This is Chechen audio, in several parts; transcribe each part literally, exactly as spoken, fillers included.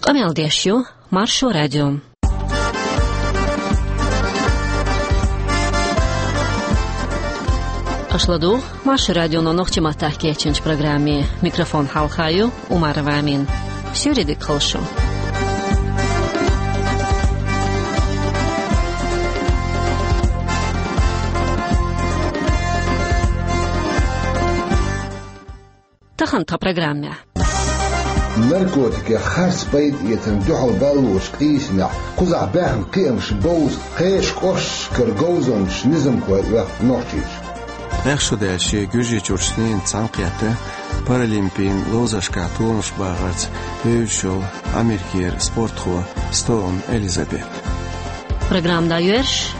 Къамел деш ю Маршо радио. Аша ладугӀу Маршо радионо нохчийн маттахь кечйинчу программе. Микрофон хьалха ю Умарова Амина. Суьйре дика хуьлда шун. Тахана тхан программехь. Наркотикех харц пайда эцарна дуьхьал баллонаш къийсамехь кхузахь баьхна кхиамаш бовза кхечу кӀошташкара говзанчаша низамхой оьху Нохчийчу. ТӀех шу даьлча, Гуьржийчуьрчу ненан цхьаьнакхетта Паралимпийн ловзаршкахь толамаш бахарца бевзаш йолу Америкера спортхо Стоун Элизабет. Программа дӀайоьрзуш.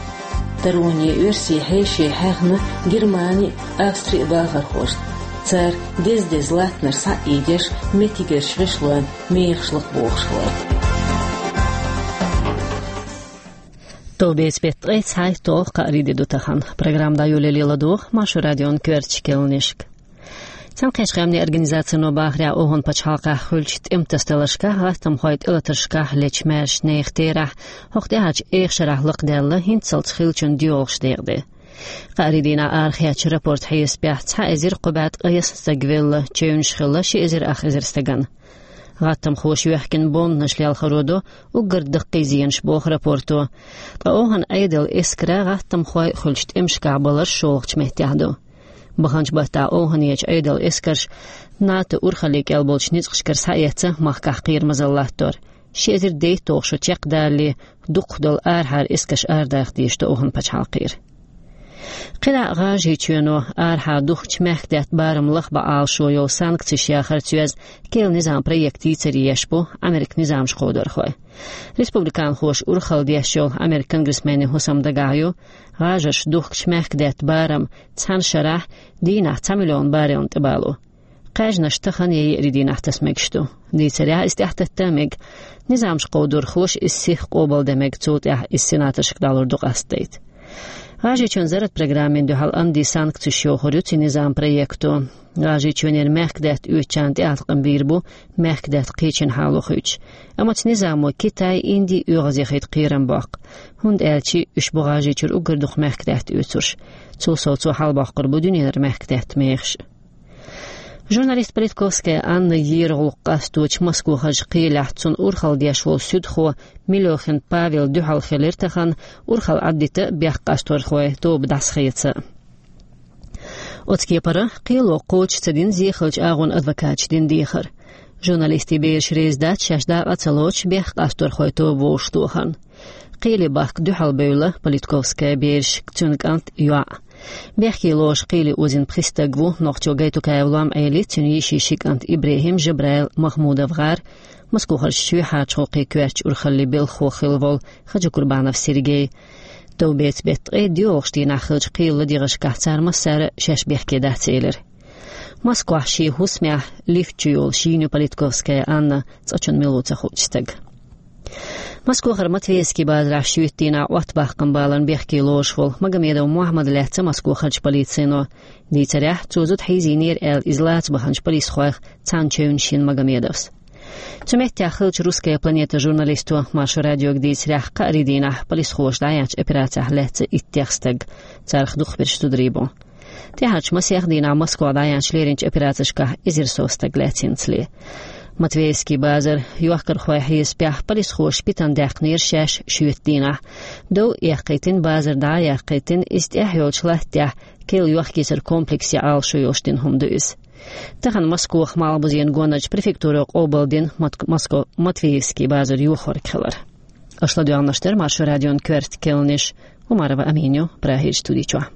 Тароне оьрсийн хьеший хьаьхна Германи а, Австри а бахархошна. Цара деза-деза латтанаш схьа а ийдеш, меттигерчу гӀишлойн мехаш лакхабохуш вара. Товбеца беттан ткъе цхьайтталгӀа кхаарин де ду тахана. Программа дӀайолале ладогӀа Маршо радион коьртачу керланашка. Цхьаьнакхеттачу Къаьмнийн Организацино бахарехь, ОвхӀан пачхьалкхехь хуьлучу тӀеман тасадаларшкахь, гӀаттамхойн тӀелатаршкахь лечу маьршачу нехан терахь, хӀокху тӀаьхьарчу эха шарахь лакхадаьлла, хӀинццалц хиллачун доьалгӀаш декъаде. Кхаарин дийнахь арахецначу рапортан хьесапехь, цхьа эзар кхо бӀе ткъайесна стаг велла, чевнаш хилла ши эзар ах эзар стагана. ГӀаттамхоша йоьхкина бомбанаш лелхаро до уггар даккхий зенаш, боху рапорто. Ткъа ОвхӀан Ӏедалан эскаран гӀаттамхой хуьлучу тӀемашкахь баларш шолгӀачу меттехь ду. Баханчу баттахь ОвхӀанерчу Ӏедалан эскарша НАТО урхаллин кӀел болчу ницкъашкара схьаэцна махкахь кхерамазалла латтор. Ши эзар дейтталгӀа шо чекхдалале, дукхахдолу арахьара эскарш арадаха дезаш ду ОвхӀан пачхьалкхера. КхидӀа а ГӀажарийчоьно арахьара духкучу мехкадаьтта барам лахбан Ӏалашо йолу санкцеш яхарца йоьзна керла низам проект йийцаре еш бу Америкин низамаш кховдорхой. Республиканхоша урхалла деш йолу Америкин конгрессменийн хӀусам дагахь ю, ГӀажарша духкучу мехкадаьтта барам цхьана шарахь дийнахь цхьа миллион баррелна тӀебало. Кхаьжнаш тахана я еарин дийнахь таса мегаш ду. Дийцарехь, иза тӀаьхьататта а мега. Низамаш кховдорхоша иза сиха къобалдан мега, цул тӀаьхьа иза сенаторшка дӀалур ду къастадайта. ГӀажарийчоьнан зарратан программина дуьхьал антисанкцеш йохур ю цу низаман проекто. ГӀажарийчоьнера мехкадаьтта оьцучарна тӀеӀаткъам бийр бу мехкадаьтта кхечу хьало хуьйцуш. Амма цу низамо Китай, Инди а оьгӀазъяхийта кхерам боккху, хӀунда аьлча уьш бу ГӀажарийчуьра уггар дукха мехкадаьтта оьцурш. Цул сов, цо хьалабоккхур бу дуьненара мехкадаьтта мехаш. Журналист Политковская Анна ера гӀуллакх къасточу Москохарчу кхелехь цунна урхалла деш волу суьдхо Милёхин Павел дуьхьал хилира тахана урхалла Ӏаддита а, бехк къасторхойн тоба дӀасахеца а. Оцу кепара кхело кхочуш ца дина зехалчу агӀонан адвокаташа дина дехар. Журналистийн бераш реза дац шаьш дакъа а ца лоцуш бехк къасторхойн тоба вовшахтохарна. Кхеле бахка дуьхьал бевлла Политковская бераш, цуьнан кӀант, йоӀ. Бехке лоруш кхеле озийна пхи стаг ву нохчо Гайтукаев Лом-Ӏели, цуьнан йишин ши кӀант ИбрахӀим, Жабраил, Махмудов ГӀар, Москохарчу чоьхьарчу гӀуллакхийн коьртачу урхаллин белхахо хилла волу Хаджикурбанов Сергей. Товбеца беттан ткъе доьалгӀачу дийнахь хиллачу кхелан ладегӀашкахь цара массара а шаьш бехке дац элира. Москвахь шен хӀусамехь лифта чу йолуш йийна ю Политковская Анна, цкъачунна мила ву ца хуучу стага. Москохара Матвеевский базарахь шоьтан дийнахь Ӏоттабаккхаман баларна бехке лоруш волу Магомедов Мухьаммад лаьцна Москохарчу полицино. Дийцарехь, цо зуда хьийзийнера аьлла, иза лаца баханчу полисхойх цхьанна чевнаш йина Магомедовс. Цу меттехь хиллачу «Русская планета» журналисто Маршо радиога дийцарехь, кхаарин дийнахь полисхоша дӀаяьхьначу операцехь лаьцна иттех стаг, царах дукхахберш зударий бу. ТӀаьхьарчу масех дийнахь Москвахь дӀаяьхьначу леринчу операцешкахь эзар сов стаг лаьцна йинчу. Матвеевский базар йохкархойн хьесапехь, полисхоша питана даьккхинера шаьш шоьтан дийнахь. Дов эккхийтина, базар дӀа а яккхийтина, иза тӀехь йолчу латтехь керла йохкийсаран комплексе Ӏалашо йолуш дина хӀума ду иза. Тахана Москохара малхбузен гонарчу префектуро къобалдина Мат-, Москва Матвеевский базар йохорг хилар. Аша ладоьгӀнарш дара Маршо радион коьрта керланаш, Умарова Амина ю Прагерчу студи чохь.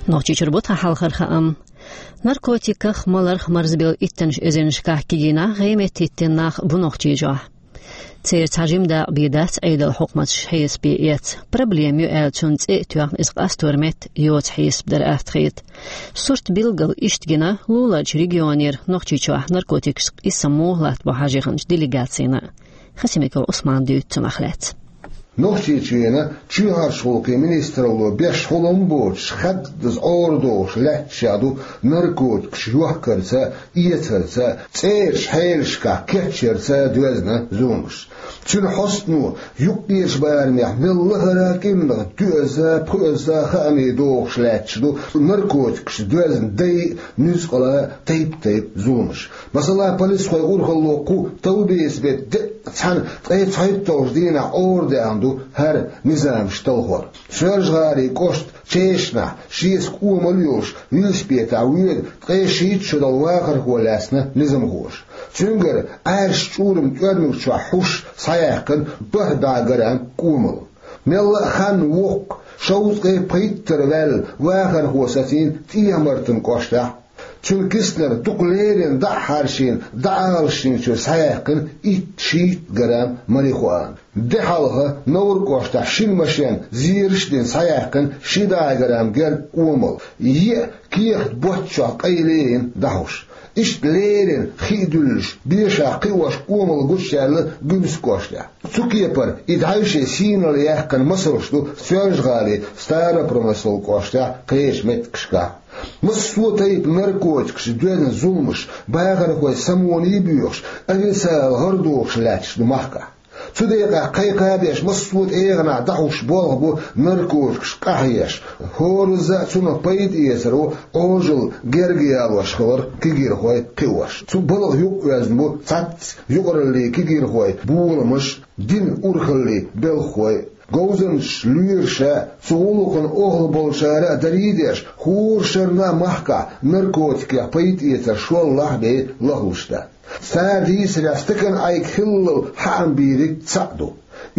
Нохчийчуьра бу тхан хьалхара хаам. Наркотиках, маларх марзбелла иттанаш эзарнашкахь кегийнах гӀеметтиттина нах бу Нохчийчохь. Церан цхьа жима дакъа бен дац Ӏедалан хьукматаш хьесапе эцна. Проблема ю аьлла, цунна цӀе а тоьхна, иза къастор метта йоцу хьесап дара атта хета. Сурт билггал иштта гина, луларчу регионера Нохчийчохь наркотикашца къийсам муха латтабо хьажа яханчу делегацина. Хасимиков Ӏусмана дуьйцу цунах лаьцна. Нохчийчоьнан чоьхьарчу гӀулакхийн министралло беш хьулам боцуш, хаддаза Ӏорадохуш лаьтташ ду наркотикаш йохкарца, эцарца, цӀерачу хьелашкахь кечъярца доьзна зуламаш. Цуьнан хьостано юккъерчу барамехь мел лахара кӀирнах доьазза, пхоьазза хаамийн догӀуш лаьтташ ду наркотикашца доьзна дайн а, нуьцкъала а тайп-тайпа зуламаш. Масала, полисхойн урхалло кху товбеца беттан деа цхьана ткъе цхьайтталгӀачу дийнахь Ӏорадаьхна ду хӀара низамаш талхор. Соьлжа-ГӀалин кӀоштан Чешнахь шеца кӀомал а йолуш велосипедехь воьду ткъе шийтта шо долу вахархо лаьцна низамхоша. Цуьнгара Ӏаьржачу чӀуран тӀоьрмиг чохь хьуш схьаяьккхина бархӀ бӀе грамм кӀомал. Мелла а ханна воккха, шовзткъе пхийттара ваьлла вахархо сацийна ТӀехьа-Мартан кӀоштахь. Цуьнан киснара дукха леррина дӀа а хьаршийна, дӀаалашйинчуьра схьаяьккхина итт-шийтта грамм марихуана. Де хьалха Невран кӀоштахь шина машен зераш а дина схьаяьккхина ши бӀе грамм герга кӀомал, еа кехат ботт чохь къайлаелла дӀахьуш. Иштта леррина хи а дуьллуш, бешахь кхиош кӀомал гучудаьлла Гуьмсан кӀоштахь. Цу кепара и дӀайшен сийналла яьккхина масалш ду Соьлжа-ГӀалин Старопромыслан кӀоштахь кхечу меттигашкахь. Массо а тайпа наркотикашца доьзна зуламаш бахархойн самоне а боьхуш, официалан гӀар дохуш лаьтташ ду махкахь. Цу декъехь кхайкха а беш, массо а тӀегӀанехь дӀахьуш болх бу наркотикаш къахьоьгуш, хӀоразза а цунах пайда эцар ву Ӏожалла герга ялош хилар кегийрхой кхиош. Цу балха юкъаоьзна бу цхьацца юкъараллин кегийрхойн боламаш, динан урхаллин белхахой. Говзанчаш, лоьраша, цу гӀуллакхна охьа болчара а дарий деш, хӀора шарна а махкахь наркотикех пайда эцар шолгӀа бен лахлуш дац. Цара дийцарехь, стакан Ӏайг хиллал хьаам бийриг цхьаъ ду.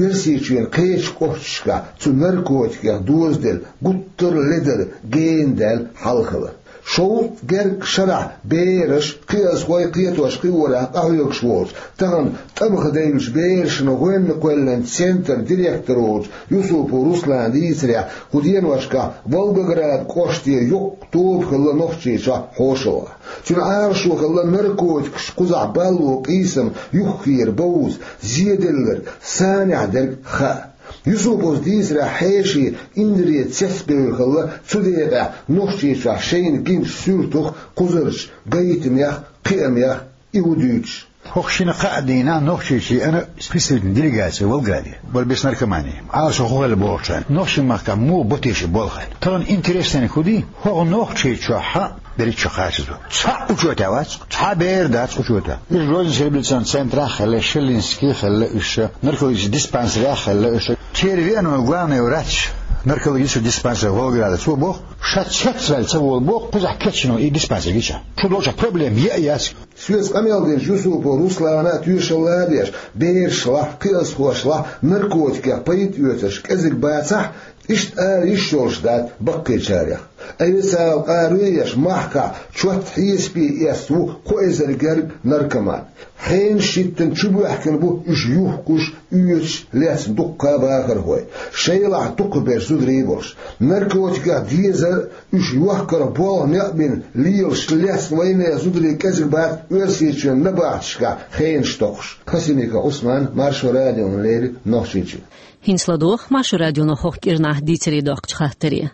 Оьрсийчоьнан кхечу кӀошташкахь цу наркотикех дозаделла гуттар а ледара гена даьлла хьал хилар. Шовзткъа гергга шарахь бераш, кхиазхой, кхетош кхиорах къахьоьгуш волчу, тахана тӀамах девллачу берашна гӀоьнна кхоьллинчу центран директор волчу Юсупов Руслана дийцарехь, кху деношкахь Волгоград кӀоште йоккха тоба хилла Нохчийчохь хьошалгӀа. Цуьнан Ӏалашо хилла наркотикаш кхузахь балло къийсам юххера бовза, зеделларг санехь дерг хаа. Юсуповс дийцарехь, хьеший Индре цецбевлла хилла цу декъехь Нохчийчохь шайна гинчу суьртах, кхузарчу гайтамех, кхиамех и хӀу дуьйцуш. ХӀокху шина-кхаа дийнахь Нохчийчоьнан представительни делегаци Волгограде бара бес наркомани. Ӏалашо хӀун хилла бохучарна, нохчийн махкахь муха бо те ши болх аьлла. Тахана интереснениг хӀун ду, хӀокху Нохчийчохь дерриг чу кхачазо. Цхьа учётехь вац, цхьа бер дац учётехь. Уьш Грозненская реабилитационный центрахь а хилла, Шеллинский а хилла уьш, наркологический диспансерехь а хилла уьш. Церан веана главный врач наркологический диспансер Волгограда, цо боху, ша цецваьлла ца волу боху, кхузахь кечйина и диспансер гича. Шу долчохь проблема е а яц. Соьца къамел динчу Юсупов Руслана а тоьшалла а деш, берашлахь, кхиазхошлахь наркотикех пайда оьцурш кӀезиг бацахь, иштта ара йиш йолуш дац баккхийчарех. Официалан къаро еш, махкахь чот хьесапе эцна ву кхо эзар герга наркоман. Хенаш хӀиттина чубоьхкина бу уьш юхкуш, оьцуш лецна дуккха а вахархой, шайлахь дукхахберш зударий а болуш. Наркотикех дезар а, уьш йохкарх болх некъ бина лелаш лецна вайнехан зударий кӀезиг бац Оьрсийчоьнан набахташкахь хенаш токхуш. Хасимиков Ӏусман, Маршо радиона леррина, Нохчийчоь. ХӀинца ладогӀа Маршо радионо хӀокху кӀирнахь дийцаре доккхучу хаттаре.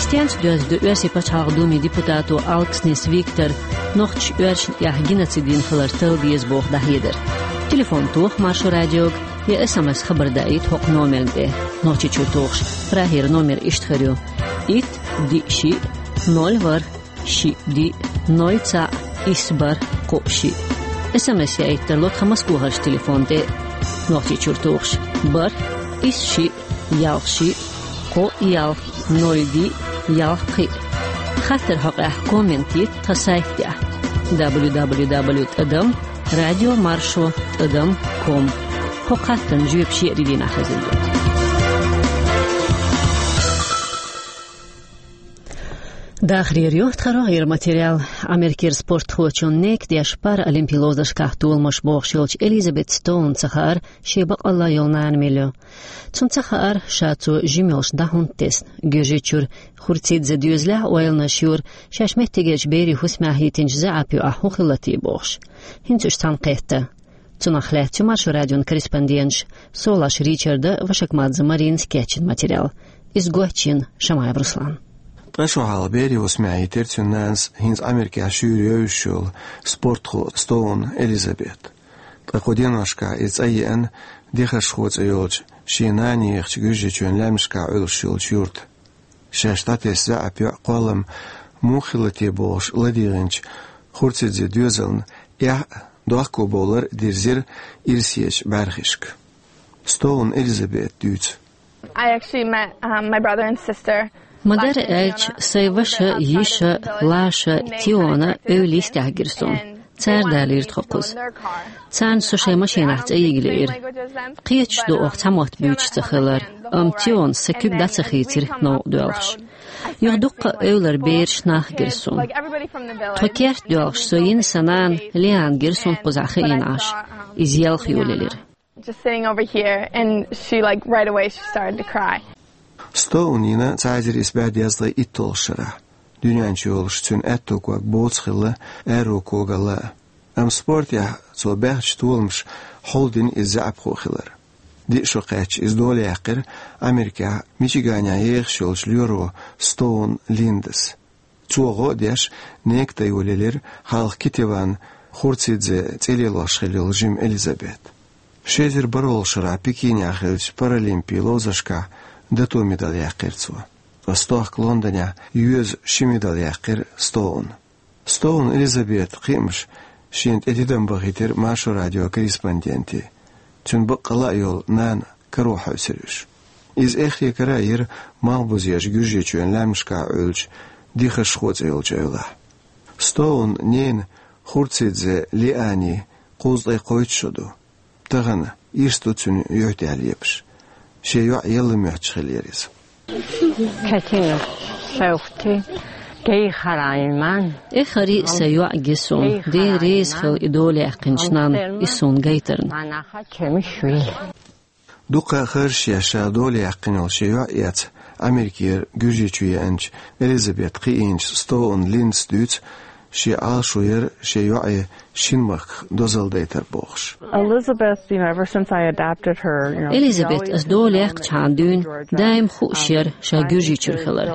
Стенца доьзна ду Оьрсийн пачхьалкхан Думин депутато Алкснис Виктора нохчаша оьрсашна тӀехь геноцид йина хилар талла деза боху дӀахьедар? Телефон тоха Маршо радиога я СМС хабар даийта хӀокху номерна тӀе. Нохчийчуьра тухуш, прагера номер иштта хир ю: итт, диъ, шиъ, ноль, ворхӀ, шиъ, диъ, ноль, цхьаъ, исс, бархӀ, кхоъ, шиъ. СМС яийта тарло тхан Москвахарчу телефон тӀе. Нохчийчуьра тухуш: бархӀ, исс, шиъ, ялх, шиъ, кхоъ, ялх, ноль, диъ, ялх, кхиъ. Хаттар хьокъехь коммент йита тхан сайтехь: дабл ю дабл ю дабл ю тӀадам радио маршо тӀадам ком. ХӀокху хаттарна жоьпаш еарин дийнахь хезна ду. Дахарера ю тхан рогӀера материал. Америкера спортхочун некадеш паралимпий ловзаршкахь толамаш бохуш йолчу Элизабет Стоунна ца хаьара, шен бакъалла йолу нана мила ю. Цунна ца хаьара, ша цо жима йолуш дӀа хӀунда тесна. Гуьржийчуьра Хурцидзе доьзалехь а ойланаш йора, шаьш меттигерчу берийн хӀусамехь хӀиттинчу заьӀап юкъахь хӀун хилла те бохуш. ХӀинца уьш цхьаьна кхетта. Цунах лаьцна ю Маршо радион корреспонденташ Солаш Ричарда, Вашакмадзе Маринас кечйина материал. Иза гочйина Шамаев Руслана. Ткъа шо хьалха берийн хӀусаме йитира цуьнан нанас хӀинца Америкехь шуьйра йовзаш йолу спортхо Стоун Элизабет. Ткъа кху деношкахь иза цӀа еана, Дехаршхо цӀе йолчу шен нана ехачу Гуьржийчоьнан лаьмнашкахь Ӏуьллуш йолчу юрта. Шаьш дӀатесна заьӀап йоӀ кхоллам муха хилла те бохуш ладегӀинчу Хурцидзе доьзална эхь а, дохко бовлар а дирзира ирсечу бӀаьрхишка. Стоун Элизабет дуьйцу. I actually met, um, my brother and sister. Ма-дарра аьлча, сайн ваша, йиша, Лаша, Тиона эвла йистехь гира суна. Цара далийра тхо кхуза. Царна со шайн машинахь цӀа йига лиира. Кхеташ ду, оха цхьа мотт буьйцуш ца хилар, амма Тиона сан куьг дӀа ца хийцира новкъа доьлхуш. Юха дуккха а эвлара бераш, нах гира суна. Тхо керта доьлхуш со йина сан нана Лиана гира суна кхузахь хиъна Ӏаш. Иза елха йолаелира. Just sitting over here, and she, like, right away she started to cry. Стоун йина цхьа эзар исс бӀе дезткъе итталгӀачу шарахь, дуьнен чу йолуш цуьнан аьтту ког боцу хилла аьрру когалла а. Амма спортехь цо баьхначу толамаша хьулдина иза заьӀапхо хилар. Диъ шо кхаьчча иза дола яьккхира Америкехь Мичиганехь ехаш йолчу лоьро Стоун Линдас. Цо гӀо а деш, нека тӀе йолаелира хьалха Китеван Хурцидзе цӀе лелош хилла йолу жима Элизабет. Ши эзар бархӀалгӀачу шарахь Пекинехь хиллачу Паралимпийн ловзаршкахь дато медаль яьккхира цо. Ткъа стохка Лондонехь йоьзна ши медаль яьккхира Стоуна. Стоун Элизабетан кхиамаш шена тӀе тидам бахийтира Маршо радион корреспонденте. Цуьнан баккъалла а йолу нана каро хьаьвсира уьш. Иза эххе кара а йира малхбузерчу Гуьржийчоьнан лаьмнашкахь Ӏуьллучу Дехаршхо цӀе йолчу эвлахь. Стоунан ненан Хурцидзе Лиани кхузткъе кхойтта шо ду. Тахана ирс ду цуьнан юьхь тӀехь лепаш. Шен йоӀ елла моьттуш хиллера иза. Катина, шовти, гей харайман. Эххар а сайн йоӀ гира суна, Дела реза хила и дола яьккхинчу нанна, и суна гайтарна. Манаха чемиш вил. Дуккха а харжаш еш ша дола яьккхина йолу шен йоӀ эцна Америкера Гуьржийчу еанчу Элизабет кхиийначу Стоун Линдас дуьйцу, шен Ӏалашо яра шен йоӀе шина махках дозалла дайтар бохуш. Elizabeth, you know, ever since I adopted her, you know, Элизабет ас дола яьккхачхьана дуьйна даим хууш яра ша Гуьржийчуьра хилар.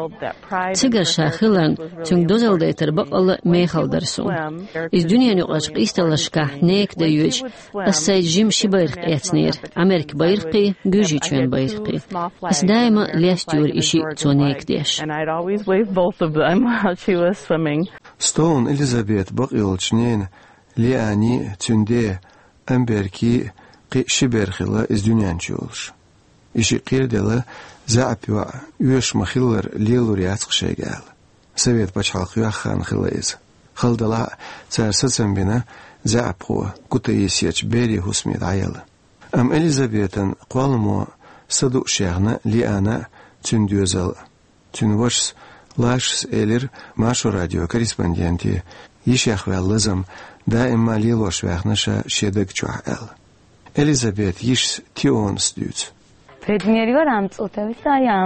Цигара ша хиларна, цуьнга дозалла дайтар баккъалла а мехала дара суна. Иза дуьненан юкъарчу къийсаллашкахь нека дан йоьдуш, ас сайн жима ши байракх эцнера, Америкин байракхий, Гуьржийчоьнан байракхий. Ас даима лестайора и шиъ цо нека деш. And I'd always wave both of them while she was swimming. Стоун Элизабетан бакъйолчу ненан Лиани а, цуьнан ден Амберкин а кхин а ши бер хилла иза дуьнен чу йолуш. И шиъ кхераделла, заьӀап йоӀ оьшуш ма-хиллара лелор яц-кх шайга аьлла. Совет пачхьалкх йоьхна хан хилла иза. Хала делахь а, цара сацам бина заьӀапхо Кутаисерчу берийн хӀусаме дӀаяла. Амма Элизабетан кхолламо са дууш яьхна Лиана а, цуьнан доьзал а. Цуьнан вашас Лашас элира Маршо радион корреспонденте, йишех ваьлла лазам даима лелош ваьхна ша шен даг чохь аьлла. Элизабетан йишас Тионас дуьйцу.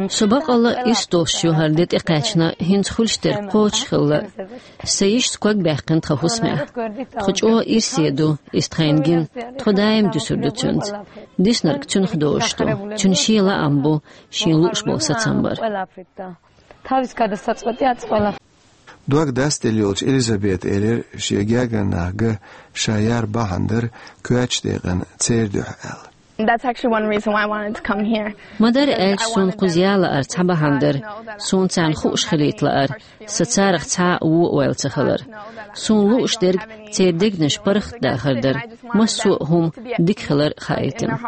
Со баккъалла а ирс долуш ю хӀара де тӀекхаьчна, хӀинца хуьлуш дерг кхочуш хилла. Сан йишас ког баьккхина тхан хӀусамехь. Тхо чӀогӀа ирсе ду, иза тхайна гина, тхо даим дуьсур ду цуьнца. Диснарг цуьнах дозуш ду. Цуьнан шен лаам бу, шена лууш болу сацам бар. Тавискада сацӀотӀа яц вала. Дог дастелла йолчу Элизабета элира, шен гергара нах ган ша яр бахьана дара коьртачу декъана церан дуьхьа аьлла. That's actually one reason why I wanted to come here. Ма-дарра аьлча, суна кхуза яла лаар цхьа бахьана дара. Суна царна хууш хилийта лаара. Сан царах цхьа а вон а ойла ца хилар. Суна лууш дерг церан дегнаш паргӀатдахар дара. Массо а хӀума дика хилар хаийтина.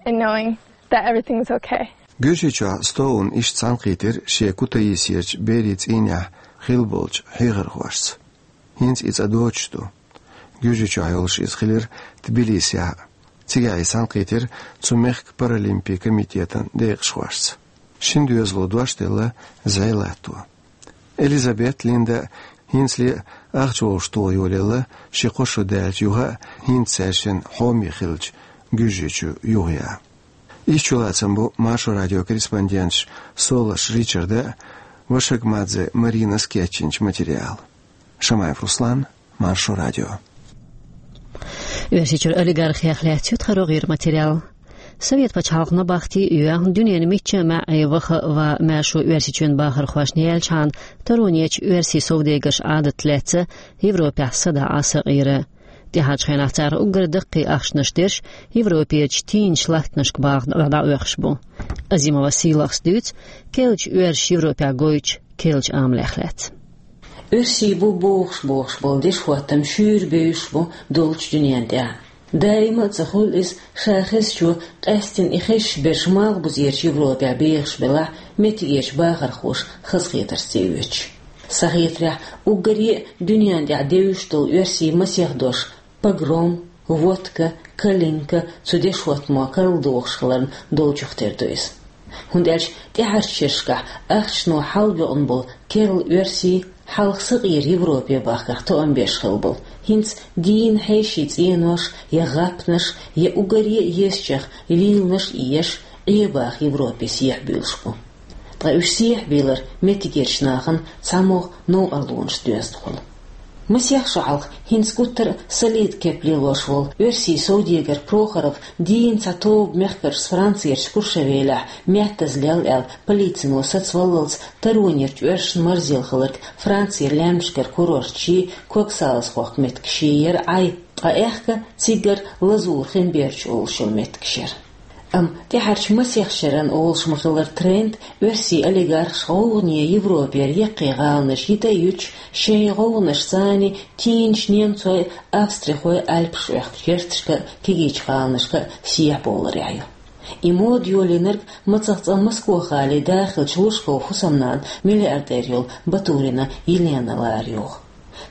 And knowing that everything's okay. Гуьржийчохь Стоуна иштта цхьаьнакхийтира шен Кутаисерчу берийн цӀийнехь хилла болчу хьехархошца. ХӀинца и цӀа доцуш ду. Гуьржийчохь йолуш иза хилира Тбилисехь а. Цигахь и цхьаьнакхийтира цу мехкан паралимпийн комитетан декъашхошца. Шина доьзало дош делла зӀе латто. Элизабет Линда хӀинцале а ахча вовшахтоха йолаелла, ши-кхо шо даьллачу юха а хӀинца цаьршинна хьоме хилча Гуьржийчу юхаяха. Иштта чулацам бу Маршо радион корреспонденташ Солаш Ричарда а, Вашагмадзе Маринас а кечйинчу материалан. Шамаев Руслан, Маршо радио. Оьрсийчуьра олигархех лаьцна ю тха рогӀера материал. Совет пачхьалкхе набахти а йоь, дуьненан мичча а маьӀӀе ваха а ва маьршо Оьрсийчоьнан бахархошна яьлча хьан, таронечу оьрсийн совдегарш Ӏадат лаьцна Европехь садаӀа сакъера. ТӀаьхьарчу хенахь царах уггар даккхий ахчанаш дерш Европерчу тийначу латтанашка баха дӀаоьхуш бу. Азимова Сийлахьас дуьйцу керлачу оьрсаша Европехь гойтучу керлачу амалех лаьцна. Оьрсий бу бохуш-бохуш болу дешхӀоттам шуьйра бевзаш бу долчу дуьненна тӀехь. Даима а ца хуьлу иза, ша хезчо, къаьсттина и хезаш берш малхбузерчу Европехь бехаш белахь, меттигерчу бахархоша хазахетарца тӀеоьцуш. Сан хетарехь, уггаре а дуьненна тӀехь девзаш долу оьрсийн масех дош погром, водка, калинка цу дешхӀоттамо карладохуш хиларна долчух тера ду иза. ХӀунда аьлча тӀаьхьарчу шерашкахь ахчано хьалабоьӀна болу керла оьрсий, хьалха сакъера Европе бахкарх тоам беш хилла болу, хӀинца дийна хьеший цӀенош, я гӀапнаш, я уггаре а езачех вийланаш а еш, Ӏе баха Европе сехьабуьйлуш бу. Ткъа уьш сехьабийлар меттигерчу нахана цхьамогӀа новкъарлонаш доьзна хуьлу. Масех шо хьалха хӀинца гуттар а солида кеп лелош волу оьрсийн совдегар Прохоров дийна цхьа тоба мехкаршца Францерчу Куршавелехь меттаза лелла аьлла, полицино сацаваллалц таронерчу оьрсашна марзъелла хилларг Францера лаьмнашкара курорташий, ког салазхоккху меттигаший яра Ӏай, ткъа аьхка циггара Лазур хин бердаш олуш йолу меттигаш яра. Амма тӀаьхьарчу масех шеран, олуш ма-хиллара, тренд оьрсийн олигархаша гӀовгӀане Европера яккхий гӀаланаш йита а юьтуш, шайн гӀовгӀанашца а, тийначу немцойн а, австрихойн а Альпашка оьхкучу гӀерташка а, кегийчу гӀаланашка а сехьабовларехь ю. И мода йолийнарг мацах цкъа Москох гӀалин да хиллачу Лужковн хӀусамнанас, миллиардер йолу Батурина Елена лара йогӀу.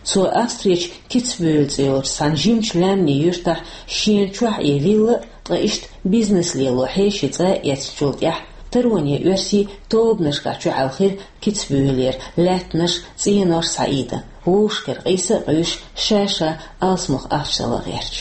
Цо Австрерчу Кицбюхель цӀе йолчу цхьана жимачу лаьмнийн юьртахь шена чохь Ӏе вилла а, ткъа иштта бизнес лело хьеший цӀа а эцначул тӀаьхьа тароне оьрсий тобанашкахь чухьаьлхира Кицбюхелера, лаьттанаш, цӀенош схьаийда, вовшахкара къийса а къуьйсуш, ша-ша алсамох ахча дала гӀерташ.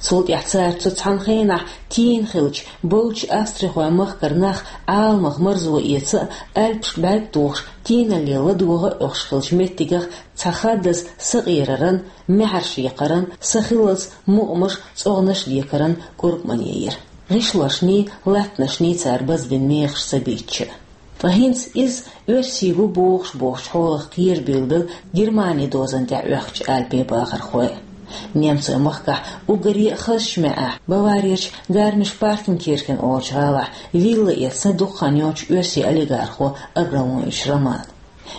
Цул тӀаьхьа цара цу цхьана хенахь тийна хиллачу бовчу австрихойн махкара нах Ӏаламах марзо эца а, Альпашка бӀаьрг а тухуш, тийналле ладогӀа а оьхуш хиллачу меттигах цхьа хаддаза сакъераран, маьхьарш яккхаран, са хиллалц мукъамаш, цӀогӀнаш декаран кӀуркӀмане йира. ГӀишлошний, латтанашний цара базбина мехаш ца бийцча а. Ткъа хӀинца иза оьрсий бу бохуш-бохучу хьолах кхерабуьйлу дела Германин дозан тӀехь оьхкучу Альпийн бахархой. Немцойн махкахь уггаре а хазачу маьӀӀехь, Баварерчу Гармиш-Партенкирхен олучу гӀалахь вилла эцна дукха хан йоцучу оьрсийн олигархо Абрамович Романа.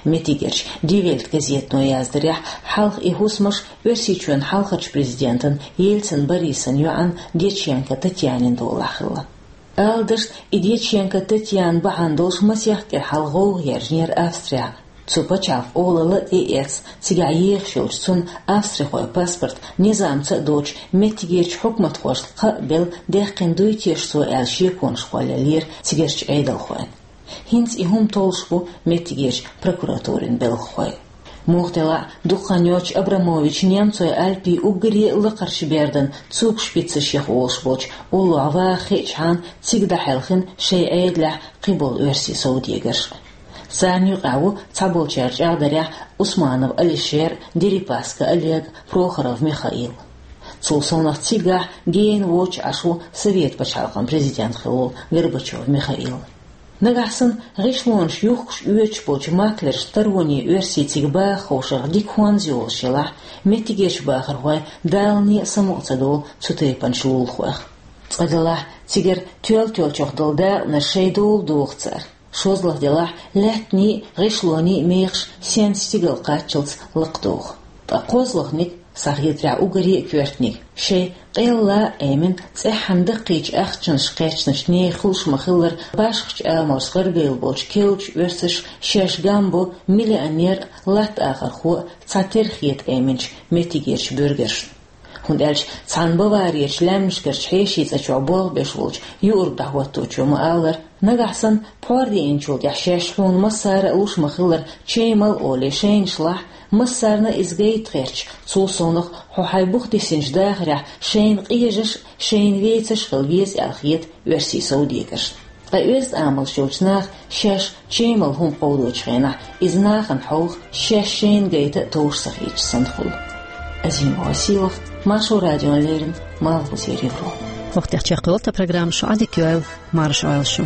Меттигерчу Die Welt газетано яздарехь, хьалха и хӀусамаш Оьрсийчоьнан хьалхарчу президентан Ельцин Борисан йоӀан Дьяченко Татьянин долахь хилла. Ала дашна, и Дьяченко Татьяна бахьана долуш масех кӀира хьалха гӀовгӀа яьржинера Австрехь. Цу пачхьалкхан олалла а тӀеэцна, цигахь ехаш йолчу цунна австрихойн паспорт низамца а доцуш, меттигерчу хьукматхошна кхаъ а белла, даьккхина дуй теша цо аьлла шеконаш кхоллаеллера цигахь Ӏедалхойн. ХӀинца и хӀума толлуш бу меттигерчу прокуратурин белхахой. Муха делахь а, дукха хан йоццуш Абрамович немцойн Альпийн уггаре а лакхарчу бердан цугшпицаш яха волуш болчу уллохь ваха хиъчхьана, цига дӀахьаьлхина шайн Ӏедалехь кхиболу оьрсийн совдегарш. Царна юкъахь ву цхьаболчара чӀагӀдарехь Усманов Алишер, Дерипаска Олег, Прохоров Михаил. Цул совнаха цигахь гена воцуш Ӏаш ву Совет пачхьалкхан президент хилла волу Горбачев Михаил. Нагахь санна гӀишлонаш юхкуш оьцуш болчу маклершна тароне оьрсий цига баха ховшарх дика хӀонз йолуш елахь, меттигерчу бахархойн далане а самукъа ца довлу цу тайпанчу лулахойх. Цкъа делахь, цигара тоьл-тоьллачух долу дакъанаш шайн дола доху цара. ШозлагӀа делахь, лаьттаний а, гӀишлоний а мехаш сенца стигала кхаччалц лакхадоху. Ткъа кхозлагӀниг, сан хетарехь, уггаре а коьртаниг, шайн къелла а Ӏемина, цӀеххьана даккхийчу ахчанаш кхаьчначу нехан хуьлуш ма-хиллара башхачу амалшца гӀарабевлла болчу керлачу оьрсаша шаьш гам бо миллионер а, латта ахархо а цхьатерра хета Ӏеминчу меттигерчу буьргаршна. ХӀунда аьлча цхьана Баварерчу лаьмнашкарчу хьешийн цӀа чохь болх беш волчу юург дӀахӀотточо ма-аллара: «Нагахь санна пхьор деанчул тӀаьхьа шаьш хьуна массара а луш ма-хиллара чемал олий шайнашлахь, массарна а иза гайта гӀерташ, цул совнаха хьо хьайн бух дисинчу дахарехь шайна къежаш а, шайна вецаш а хила веза», — аьлла хета оьрсийн совдегаршна. Ткъа оьзда амалш йолчу наха шаьш чемал хӀума кховдочу хенахь, иза нахана хьовха, шаьш шайна гайта а товш ца хеташ санна хуьлу. Азимова Сийлахь, Маршо радион леррина, малхбузера Европа. ХӀокху тӀехь чекхйолу тхан программа, шу Ӏадика йойла, марша Ӏойла шу.